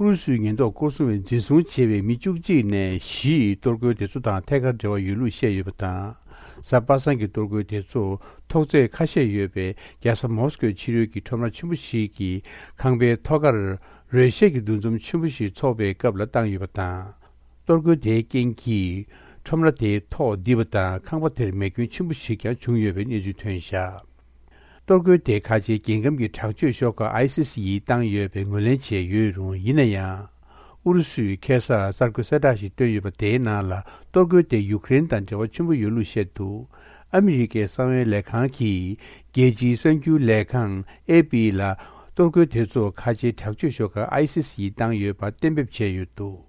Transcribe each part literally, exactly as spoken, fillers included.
ཨུ་རུ་སུའི་ཉེན་རྟོག་སྐོར་སྲུང་བས་འཛིན་བཟུང་བྱས་པའི་མི་བཅུ་གཅིག་ནས་བཞི་གཏོར་རྒོལ་དེ་ཚོ་དང་ཐད་ཀར་འབྲེལ་བ་ཡོད་ལུགས་བཤད་ཡོད་པ་དང་། གཟའ་པ་སངས་ཀྱི་གཏོར་རྒོལ་དེ་ཚོ་ཐོག་བརྩེགས་ཁ་ཤས་ཡོད་པའི་རྒྱལ་ས་མོ་སི་ཀོའི་ཕྱི་རོལ་གྱི་ཁྲོམ་ར་ཆེན་པོ་ཞིག་གི་ཁང་པའི་ཐོག་ཁར་རོལ་གཞས་ཀྱི་འདུ་འཛོམས་ཆེན་པོ་ཞིག་འཚོགས་པའི་སྐབས་ལ་བཏང་ཡོད་པ་དང་། གཏོར་རྒོལ་དེའི་རྐྱེན་གྱིས་ཁྲོམ་ར་དེའི་ཐོག་རྡིབ་པ་དང་ཁང་པ་དེར་མེ་སྐྱོན་ཆེན་པོ་ཞིག་ཀྱང་བྱུང་ཡོད་པའི་གནས་ཚུལ་ཐོན་བཞག་གཏོར་རྒོལ་དེ་ཁ་ཆེའི་རྒྱལ་ཁམས་ཀྱི་དྲག་སྤྱོད་ཤོག་ཁག་ཨའི་སི་སི་ཡིས་བཏང་ཡོད་པའི་ངོས་ལེན་བྱས་ཡོད་རུང་། ཡིན་ན་ཡང་། ཨུ་རུ་སུས་ཁ་སང་གསར་འགོད་གསལ་བསྒྲགས་ཤིག་བཏོན་ཡོད་པ་དེའི་ནང་ལ། གཏོར་རྒོལ་དེ་ཡུཀ་རེན་དང་འབྲེལ་བ་ཆེན་པོ་ཡོད་ལུགས་བཤད་འདུག་ཨ་མི་རི་ཀའི་གསང་བའི་ལས་ཁང་གིས་རྒྱལ་སྤྱིའི་གསར་འགྱུར་ལས་ཁང་ཨེ་པི་ལ། གཏོར་རྒོལ་དེ་ཚོ་ཁ་ཆེའི་དྲག་སྤྱོད་ཤོག་ཁག་ཨའི་སི་སི་ཡིས་བཏང་ཡོད་པ་གཏན་འབེབས་བྱས་ཡོད་འདུག་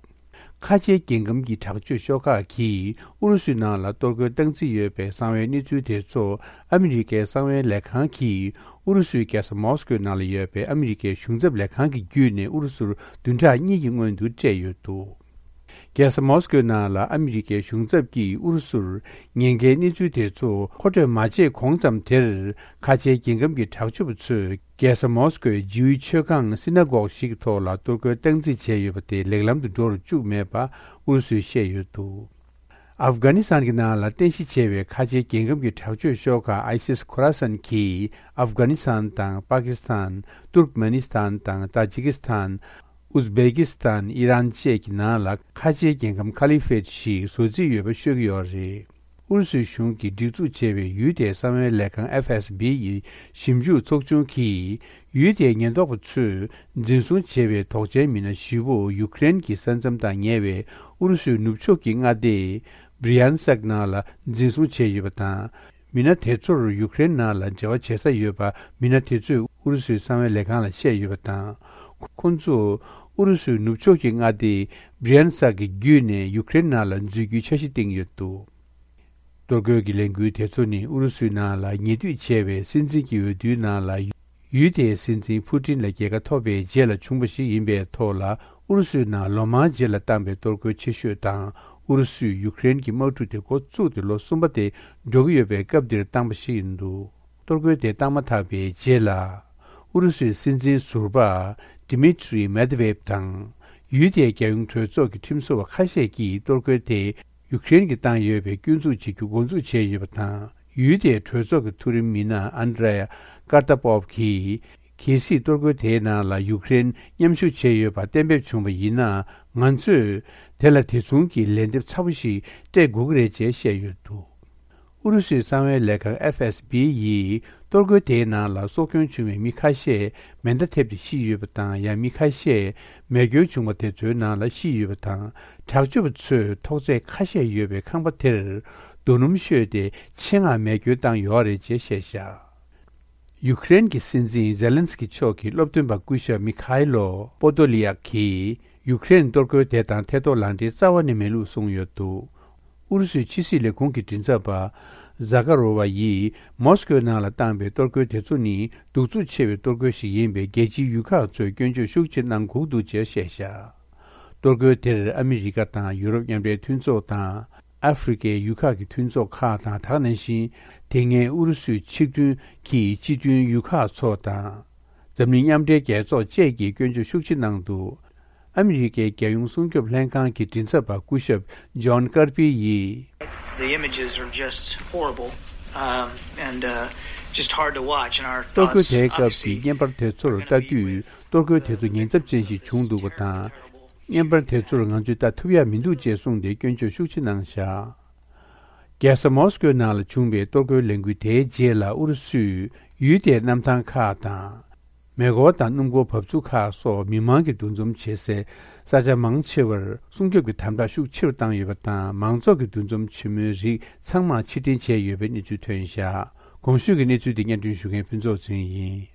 ཁ་ཆེའི་རྒྱལ་ཁམས་ཀྱི་དྲག་སྤྱོད་ཤོག་ཁག་གིས་ཨུ་རུ་སུའི་ནང་ལ་གཏོར་རྒོལ་བཏང་རྩིས་ཡོད་པའི་གསང་བའི་གནས་ཚུལ་དེ་ཚོ་ཨ་མི་རི་ཀའི་གསང་བའི་ལས་ཁང་གིས་ཨུ་རུ་སུའི་རྒྱལ་ས་མོ་སི་ཀོའི་ནང་ལ་ཡོད་པའི་ཨ་མི་རི་ཀའི་གཞུང་ཚབ་ལས་ཁང་གི་བརྒྱུད་ནས་ཨུ་རུ་སུར་བདུན་ཕྲག་གཉིས་ཀྱི་སྔོན་དུ་སྤྲད་ཡོད་འདུག་རྒྱལ་ས་མོ་སི་ཀོའི་ནང་ལ་ཨ་མི་རི་ཀའི་གཞུང་ཚབ་ཀྱིས་ཨུ་རུ་སུར་ཉེན་ཁའི་གནས་ཚུལ་དེ་ཚོ་མཁོ་སྤྲོད་མ་བྱས་གོང་ཙམ་དེར། ཁ་ཆེའི་རྒྱལ་ཁམས་ཀྱི་དྲག་སྤྱོད་པ་ཚོས་རྒྱལ་ས་མོ་སི་ཀོའི་ཇིའུའི་མཆོད་ཁང་སི་ན་གོག་ཞིག་གི་ཐོག་ལ་གཏོར་རྒོལ་བཏང་རྩིས་བྱས་ཡོད་པ་དེ་ལེགས་ལམ་དུ་འགྲོ་རུ་བཅུག་མེད་པ་ཨུ་རུ་སུས་བཤད་ཡོད་འདུག་ཨབ་གྷ་ནི་སི་ཐན་གྱི་ནང་ལ་རྟེན་གཞི་བྱས་པའི་ཁ་ཆེའི་རྒྱལ་ཁམས་ཀྱི་དྲག་སྤྱོད་ཤོག་ཁག་ཨའི་སི་སི་ཁོ་ར་སན་གྱིས་ཨབ་གྷ་ནི་སི་ཐན་དང་པ་ཀི་སི་ཐན། ཏུར་ཀ་མེ་ནི་སི་ཐན་དང་ཏཱ་ཇི་ཀི་སི་ཐན། ཨུ་ཛ་བེ་ཀི་སི་ཐན། ཨི་རན་བཅས་ཀྱི་ནང་ལ་ཁ་ཆེའི་རྒྱལ་ཁམས་ཁ་ལི་ཕེད་ཞིག་བཟོ་རྩིས་ཡོད་པ་ཤོད་ཀྱི་ཡོད་རེད། ཨུ་རུ་སུའི་གཞུང་གིས་སྒྲིག་འཛུགས་བྱས་པའི་ཡུལ་དེའི་གསང་བའི་ལས་ཁང་ཨེཕ་ཨེས་བི་ཡི་ཞིབ་འཇུག་ཚོགས་ཆུང་གིས། ཡུལ་དེའི་ཉེན་རྟོག་པ་ཚོས་འཛིན་བཟུང་བྱས་པའི་དོགས་ཅན་མི་སྣ་བཞི་བོ་ཡུཀ་རེན་གྱི་ས་མཚམས་དང་ཉེ་བའི་ཨུ་རུ་སུའི་ནུབ་ཕྱོགས་ཀྱི་མངའ་སྡེ་བྷི་རི་ཡན་སཀ་ནང་ལ་འཛིན་བཟུང་བྱས་ཡོད་པ་དང་། མི་སྣ་དེ་ཚོར་ཡུཀ་རེན་ནང་ལ་འབྲེལ་བ་བྱེད་ས་ཡོད་པ་མི་སྣ་དེ་ཚོས་ཨུ་རུ་སུའི་གསང་བའི་ལས་ཁང་ལ་བཤད་ཡོད་པ་དང་། ཁོ་ཚོ་ཨུ་རུ་སུའི་ནུབ་ཕྱོགས་ཀྱི་མངའ་སྡེ་བྷི་རི་ཡན་སཀ་གི་བརྒྱུད་ནས་ཡུཀ་རེན་ནང་ལ་འཛུལ་རྒྱུའི་འཆར་གཞི་བཏིང་ཡོད་འདུག་གཏོར་རྒོལ་གྱི་ལས་འགུལ་དེ་ཚོ་ནི་ཨུ་རུ་སུའི་ནང་ལ་ཉེ་དུས་བྱས་པའི་སྲིད་འཛིན་གྱི་འོས་བསྡུའི་ནང་ལ་ཡུལ་དེའི་སྲིད་འཛིན་ཕུ་ཏིན་ལ་རྒྱལ་ཁ་ཐོབ་པའི་རྗེས་ལ་བྱུང་བ་ཞིག་ཡིན་པའི་ཐོག་ལ། ཨུ་རུ་སུའི་ནང་ལོ་མང་རྗེས་ལ་བཏང་པའི་གཏོར་རྒོལ་ཆེ་ཤོས་དང་། ཨུ་རུ་སུས་ཡུཀ་རེན་གྱི་དམག་གྲུ་དེ་འགོ་བཙུགས་ཏེ་ལོ་གསུམ་པ་དེ་འགྲོ་གི་ཡོད་པའི་སྐབས་འདིར་བཏང་པ་ཞིག་ཡིན་འདུག་གཏོར་རྒོལ་དེ་བཏང་མ་ཐག་པའི་རྗེས་ལ། ཨུ་རུ་སུའི་སྲིད་འཛིན་ཟུར་པ་ཌི་མི་ཏྲི་མེད་ཝེ་བྷ་དང་། ཡུལ་དེའི་རྒྱལ་ཡོངས་གྲོས་ཚོགས་ཀྱི་ཁྲིམས་བཟོ་བ་ཁ་ཤས་ཀྱིས་གཏོར་རྒོལ་དེ། ཡུཀ་རེན་གྱིས་བཏང་ཡོད་པའི་སྐྱོན་འཛུགས་བྱེད་རྒྱུ་འགོ་འཛུགས་བྱས་ཡོད་པ་དང་། ཡུལ་དེའི་གྲོས་ཚོགས་ཀྱི་མཐོ་རིམ་མི་སྣ་ཨན་ཌྲེ་ཀར་ཏ་པོབ་གྱིས། གལ་སྲིད་གཏོར་རྒོལ་དེའི་ནང་ལ་ཡུཀ་རེན་མཉམ་ཞུགས་བྱས་ཡོད་པ་གཏན་འབེབས་བྱུང་བ་ཡིན་ན། ང་ཚོས་དེ་ལ་དེ་མཚུངས་ཀྱི་ལན་འདེབས་ཚ་པོ་ཞིག་སྤྲད་དགོས་ཀྱི་རེད་ཅེས་བཤད་ཡོད་འདུག་ཨུ་རུ་སུའི་གསང་བའི་ལས་ཁང་ཨེཕ་ཨེས་བི་ཡིས། གཏོར་རྒོལ་དེའི་ནང་ལ་སྲོག་སྐྱོན་བྱུང་བའི་མི་ཁ་ཤས་མེ་མདའ་ཐེབས་ཏེ་ཤི་ཡོད་པ་དང་། ཡང་མི་ཁ་ཤས་མེ་སྐྱོན་བྱུང་བ་དེ་ཚོའི་ནང་ལ་ཤི་ཡོད་པ་དང་། དྲག་སྤྱོད་པ་ཚོས་ཐོག་བརྩེགས་ཁ་ཤས་ཡོད་པའི་ཁང་པ་དེར་རྡོ་སྣུམ་བཤོས་ཏེ་ཆེད་མངགས་མེ་སྐྱོན་བཏང་ཡོད་རེད་ཅེས་བཤད་བཞག་ཡུཀ་རེན་གྱི་སྲིད་འཛིན་ཛེ་ལན་སི་ཀི་མཆོག་གི་སློབ་སྟོན་པ་སྐུ་ཞབས་མི་ཁའི་ལོ་པོ་དོ་ལི་ཡག་གིས། ཡུཀ་རེན་གཏོར་རྒོལ་དེ་དང་ཐད་གཏོང་ལག་འབྲེལ་རྩ་བ་ནས་མེད་ལུགས་གསུངས་ཡོད་འདུག་ཨུ་རུ་སུའི་ཕྱི་སྲིད་ལས་ཁུངས་ཀྱི་མགྲིན་ཚབ་པ་ཛ་ཀ་རོ་ཝ་ཡིས་མོ་སི་ཀོའི་ནང་ལ་བཏང་པའི་གཏོར་རྒོལ་དེ་ཚོ་ནི་གདུག་རྩུབ་ཆེ་བའི་གཏོར་རྒོལ་ཞིག་ཡིན་པས། རྒྱལ་སྤྱིའི་ཡུལ་ཁག་ཚོས་སྐྱོན་བརྗོད་ཤུགས་ཆེ་གནང་དགོས་འདུག་ཅེས་བཤད་བཞག་གཏོར་རྒོལ་དེར་ཨ་མི་རི་ཀ་དང་ཡུ་རོབ་མཉམ་འབྲེལ་མཐུན་ཚོགས་དང་། ཨ་ཧྥེ་རི་ཁའི་ཡུལ་ཁག་གི་མཐུན་ཚོགས་ཁག་དང་། ད་ག་ནང་བཞིན་དེ་སྔའི་ཨུ་རུ་སུའི་ཆིག་མཐུན་གྱི་སྤྱི་མཐུན་ཡུལ་ཁག་ཚོ་དང་། འཛམ་གླིང་མཉམ་འབྲེལ་རྒྱལ་ཚོགས་བཅས་ཀྱིས་སྐྱོན་བརྗོད་ཤུགས་ཆེ་གནང་འདུག་ཨ་མི་རི་ཀའི་རྒྱལ་ཡོངས་སྲུང་སྐྱོབ་ལྷན་ཁང་གི་མགྲིན་ཚབ་པ་སྐུ་ཞབས་ཇོན་ཀར་པི་ཡིས། The images are just horrible, um, and, uh, just hard to watch, and our གཏོར་རྒོལ་དེའི་སྐབས་ཀྱི་བརྙན་པར་དེ་ཚོར་ལྟ་དུས། གཏོར་རྒོལ་དེ་ཚོ་ཉེན་ཚབས་ཅན་ཞིག་བྱུང་འདུག་པ་དང་། བརྙན་པར་དེ་ཚོར་ང་ཚོས་ལྟ་ཐུབ་ཡ་མི་འདུག་ཅེས་གསུངས་ཏེ་སྐྱོན་བརྗོད་ཤུགས་ཆེ་གནང་བཞག་རྒྱལ་ས་མོ་སི་ཀོའི་ནང་ལ་བྱུང་བའི་གཏོར་རྒོལ་ལས་འགུལ་དེའི་རྗེས་ལ། ཨུ་རུ་སུས་ཡུལ་དེའི་གནམ་ཐང་ཁག་དང་། མེ་འཁོར་དང་སྣུམ་འཁོར་འབབ་ཚུགས་ཁག་སོགས་མི་མང་གི་འདུ་འཛོམས་བྱེད་སའི་ས་ཆ་མང་ཆེ་བར་སྲུང་སྐྱོབ་ཀྱི་དམ་དྲག་ཤུགས་ཆེ་རུ་བཏང་ཡོད་པ་དང་། མང་ཚོགས་ཀྱི་འདུ་འཛོམས་ཆེན་མོའི་རིགས་ཚང་མ་ཕྱིར་འཐེན་བྱས་ཡོད་པའི་གནས་ཚུལ་ཐོན་བཞག་གོང་ཞུས་ཀྱི་གནས་ཚུལ་འདི་སྙན་སྒྲོན་ཞུ་མཁན་ཕུན་ཚོགས་ཚེ་རིང་ཡིན།